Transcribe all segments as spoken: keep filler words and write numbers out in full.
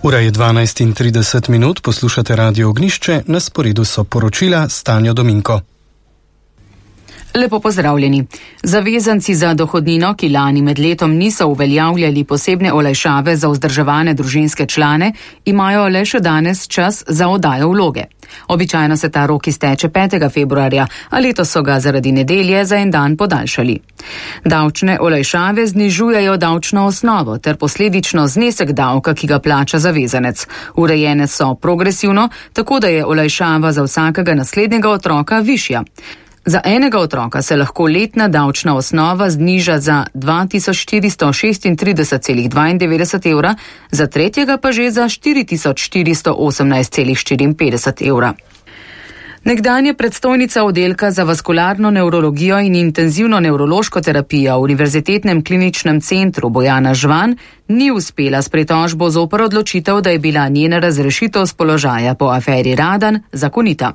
Ura je dvanajst in trideset minut, poslušate Radio Ognjišče, na sporedu so poročila s Tanjo Dominko. Lepo pozdravljeni. Zavezanci za dohodnino, ki lani med letom niso uveljavljali posebne olajšave za vzdrževane družinske člane, imajo le še danes čas za oddajo vloge. Običajno se ta rok izteče petega februarja, a letos so ga zaradi nedelje za en dan podaljšali. Davčne olajšave znižujejo davčno osnovo ter posledično znesek davka, ki ga plača zavezanec. Urejene so progresivno, tako da je olajšava za vsakega naslednjega otroka višja. Za enega otroka se lahko letna davčna osnova zniža za dva tisoč štiristo šestintrideset celih dvaindevetdeset evra, za tretjega pa že za štiri tisoč štiristo osemnajst celih štiriinpetdeset evra. Nekdanja predstojnica oddelka za vaskularno nevrologijo in intenzivno nevrološko terapijo v Univerzitetnem kliničnem centru Bojana Žvan ni uspela s pritožbo zoper odločitev, da je bila njena razrešitev z položaja po aferi Radan zakonita.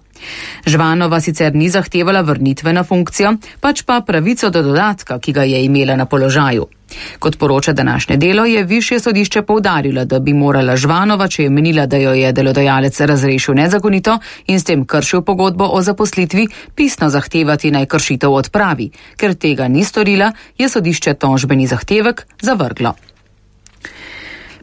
Žvanova sicer ni zahtevala vrnitve na funkcijo, pač pa pravico do dodatka, ki ga je imela na položaju. Kot poroča današnje Delo, je višje sodišče poudarilo, da bi morala Žvanova, če je menila, da jo je delodajalec razrešil nezakonito in s tem kršil pogodbo o zaposlitvi, pisno zahtevati naj kršitev odpravi. Ker tega ni storila, je sodišče tožbeni zahtevek zavrglo.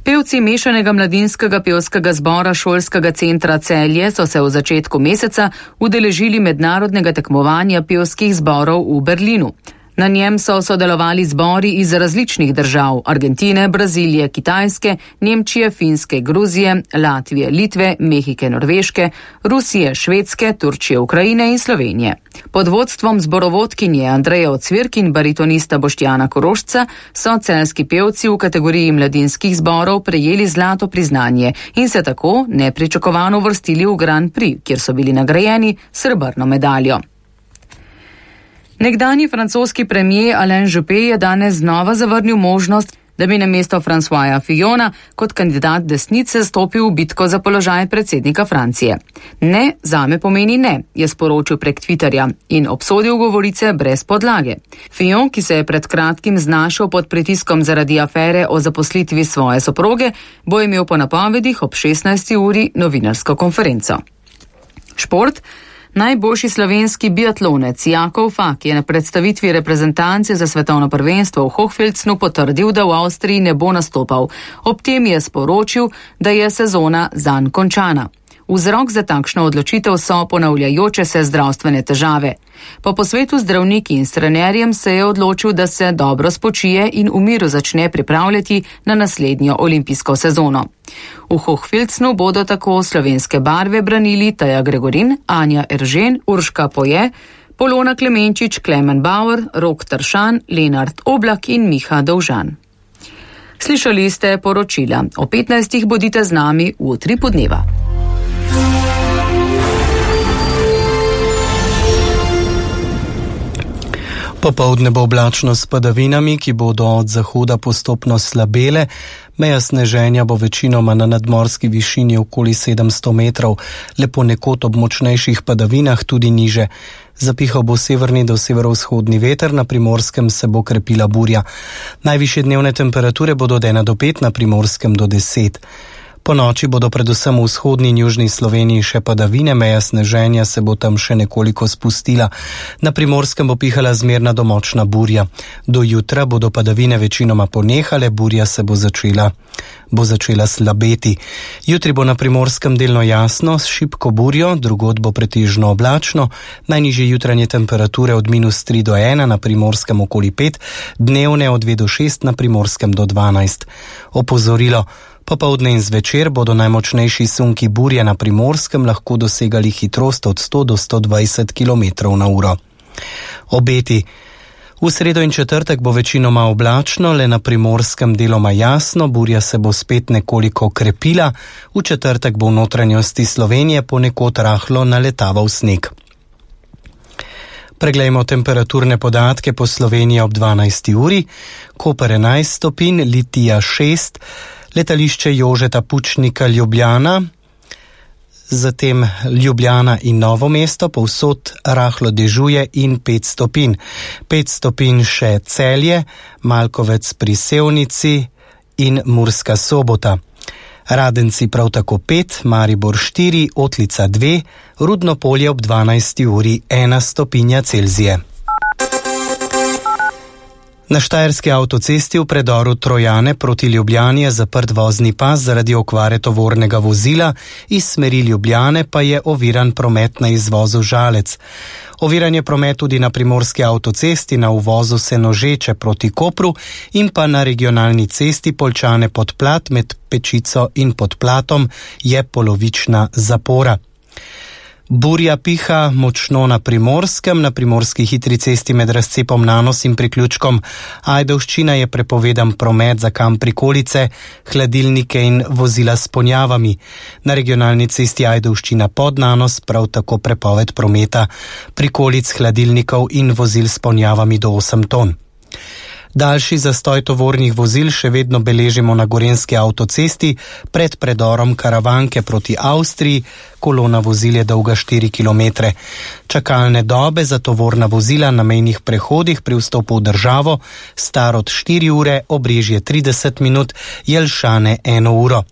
Pevci mešanega mladinskega pevskega zbora šolskega centra Celje so se v začetku meseca udeležili mednarodnega tekmovanja pevskih zborov v Berlinu. Na njem so sodelovali zbori iz različnih držav: Argentine, Brazilije, Kitajske, Nemčije, Finske, Gruzije, Latvije, Litve, Mehike, Norveške, Rusije, Švedske, Turčije, Ukrajine in Slovenije. Pod vodstvom zborovodkinje Andreje Ocvirk in baritonista Boštjana Korošca so celjski pevci v kategoriji mladinskih zborov prejeli zlato priznanje in se tako nepričakovano uvrstili v Grand Prix, kjer so bili nagrajeni s srebrno medaljo. Nekdanji francoski premier Alain Juppé je danes znova zavrnil možnost, da bi namesto Françoisa Fillona kot kandidat desnice stopil v bitko za položaj predsednika Francije. Ne, zame pomeni ne, je sporočil prek Twitterja in obsodil govorice brez podlage. Fillon, ki se je pred kratkim znašel pod pritiskom zaradi afere o zaposlitvi svoje soproge, bo imel po napovedih ob šestnajsti uri novinarsko konferenco. Šport. Najboljši slovenski biatlonec Jakov Fak je na predstavitvi reprezentance za svetovno prvenstvo v Hochfilzenu potrdil, da v Avstriji ne bo nastopal. Ob tem je sporočil, da je sezona zanj končana. Vzrok za takšno odločitev so ponavljajoče se zdravstvene težave. Po posvetu z zdravniki in s trenerjem se je odločil, da se dobro spočije in v miru začne pripravljati na naslednjo olimpijsko sezono. V Hochfilzenu bodo tako slovenske barve branili Taja Gregorin, Anja Eržen, Urška Poje, Polona Klemenčič, Klemen Bauer, Rok Tršan, Lenart Oblak in Miha Dovžan. Slišali ste poročila. O petnajstih bodite z nami v utripu dneva. Popoldne bo oblačno s padavinami, ki bodo od zahoda postopno slabele. Meja sneženja bo večinoma na nadmorski višini okoli sedemsto metrov, le ponekod ob močnejših padavinah tudi niže. Zapihal bo severni do severovzhodni veter, na Primorskem se bo krepila burja. Najvišje dnevne temperature bodo od ena do pet, na Primorskem do deset. Po noči bodo predvsem v vzhodni in južni Sloveniji še padavine, meja sneženja se bo tam še nekoliko spustila. Na Primorskem bo pihala zmerna do močna burja. Do jutra bodo padavine večinoma ponehale, burja se bo začela, bo začela slabeti. Jutri bo na Primorskem delno jasno, s šibko burjo, drugod bo pretežno oblačno, najnižje jutranje temperature od minus tri do ena, na Primorskem okoli pet, dnevne od dve do šest, na Primorskem do dvanajst. Opozorilo. Popoldne in zvečer bodo najmočnejši sunki burje na Primorskem lahko dosegali hitrost od sto do sto dvajset kilometrov na uro. Obeti. V sredo in četrtek bo večinoma oblačno, le na Primorskem deloma jasno, burja se bo spet nekoliko krepila, v četrtek bo v notranjosti Slovenije ponekod rahlo naletaval sneg. Preglejmo temperaturne podatke po Sloveniji ob dvanajsti uri. Koper enajst stopinj, Litija šest, letališče Jožeta Pučnika Ljubljana, zatem Ljubljana in Novo mesto, povsod rahlo dežuje in pet stopinj. Pet stopinj še Celje, Malkovec pri Sevnici in Murska Sobota. Radenci prav tako pet, Maribor štiri, Otlica dve, Rudno Polje ob dvanajsti uri ena stopinja Celzije. Na štajerski avtocesti v predoru Trojane proti Ljubljani je zaprt vozni pas zaradi okvare tovornega vozila, iz smeri Ljubljane pa je oviran promet na izvozu Žalec. Oviran je promet tudi na primorski avtocesti na uvozu Senožeče proti Kopru in pa na regionalni cesti Poljčane Podplat med Pečico in Podplatom je polovična zapora. Burja piha močno na Primorskem, na primorski hitri cesti med razcepom Nanos in priključkom Ajdovščina je prepovedan promet za kam prikolice, hladilnike in vozila s ponjavami. Na regionalni cesti Ajdovščina pod Nanos prav tako prepoved prometa prikolic, hladilnikov in vozil s ponjavami do osem ton. Daljši zastoj tovornih vozil še vedno beležimo na gorenjski avtocesti pred predorom Karavanke proti Avstriji, kolona vozil je dolga štiri kilometre. Čakalne dobe za tovorna vozila na mejnih prehodih pri vstopu v državo, Starod štiri ure, Obrežje trideset minut, Jelšane eno uro.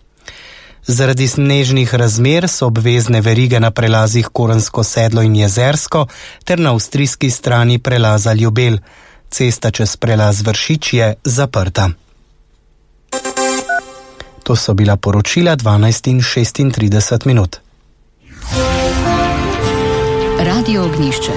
Zaradi snežnih razmer so obvezne verige na prelazih Korensko sedlo in Jezersko ter na avstrijski strani prelaza Ljubelj. Cesta čez prelaz Vršič je zaprta. To so bila poročila dvanajst in šestintrideset minut. Radio Ognjišče.